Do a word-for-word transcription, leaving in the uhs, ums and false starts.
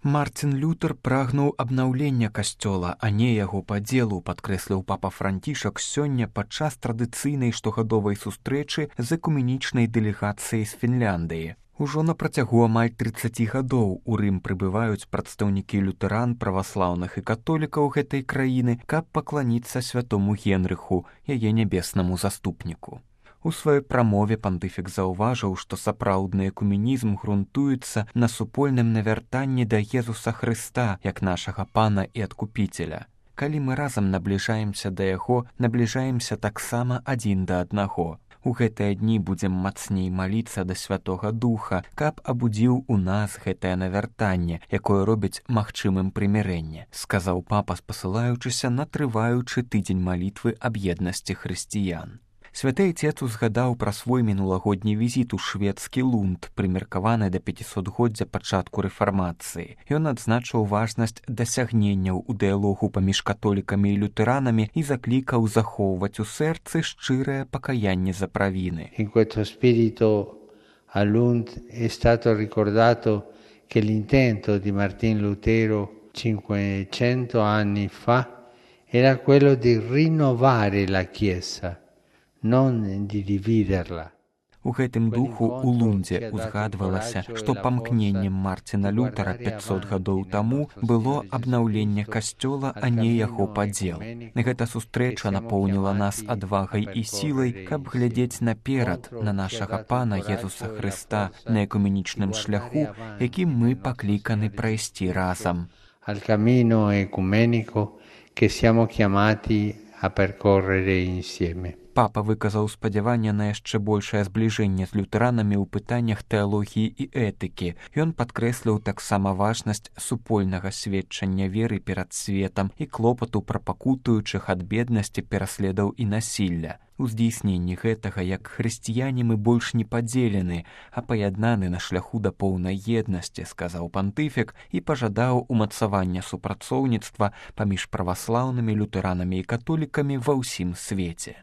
Мартин Лютер прагнуў абнаўлення касцёла, а не яго падзелу, падкрэсліў папа Францішак сёння падчас традыцыйнай штогадовай сустрэчы з экуменічнай дэлегацыяй з Фінляндыі. Ужо на працягу амаль трыццаці гадоў у Рым прыбываюць прадстаўнікі лютэран, праваслаўных і католікаў гэтай краіны, каб пакланіцца святому Генрыху, яе нябеснаму заступніку. У сваёй прамове пантыфік заўважыў, што сапраўдны экуменізм грунтуецца на супольным навяртанні да Езуса Хрыста, як нашага пана і адкупіцеля. Калі мы разам набліжаемся да яго, набліжаемся таксама адзін да аднаго. У гэтыя дні будзем мацней маліцца да Святога Духа, каб абудзіў у нас гэтае навяртанне, якое робіць магчымым прымірэнне, сказаў папа, спасылаючыся на трываючы тыдзень малітвы аб еднасці хрысціян. Святы Отец узгадаў пра свой мінулагодні візіт у шведскі Лунд, прымеркаваны да пяцісотгоддзя пачатку рэфармацыі. Ён адзначыў важнасць дасягненняў у дыялогу паміж католікамі і лютэранамі і заклікаў захоўваць у сэрцы шчырае пакаянне за правіны. In questo spirito a Lund è stato ricordato che l'intento di Martin Lutero cinquecento anni fa era quello di rinnovare la Chiesa, non di dividerla. У гэтым духу у Лундзе узгадвалася, што памкненнем Мартина Лютера пяцьсот гадоў таму было абнаўленне касцёла, а не яго падзел. Гэта сустрэча напоўніла нас адвагай і сілай, каб глядзець наперад на нашага пана Езуса Хрыста на экуменічным шляху, якім мы пакліканы прайсці разам. Al cammino ecumenico che siamo chiamati a percorrere insieme. Папа выказаў спадзяванне на яшчэ большае збліжэнне з лютэранамі ў пытаннях тэалогіі і этыкі. Ён падкрэсліў таксама важнасць супольнага сведчання веры перад светам і клопату пра пакутуючых ад беднасці, пераследаў і насілля. У здзейсненні гэтага, як хрысціяне, мы больш не падзелены, а паяднаны на шляху да поўнай еднасці, сказаў пантыфік і пажадаў умацавання супрацоўніцтва паміж праваслаўнымі, лютэранамі і католікамі ва ўсім свеце.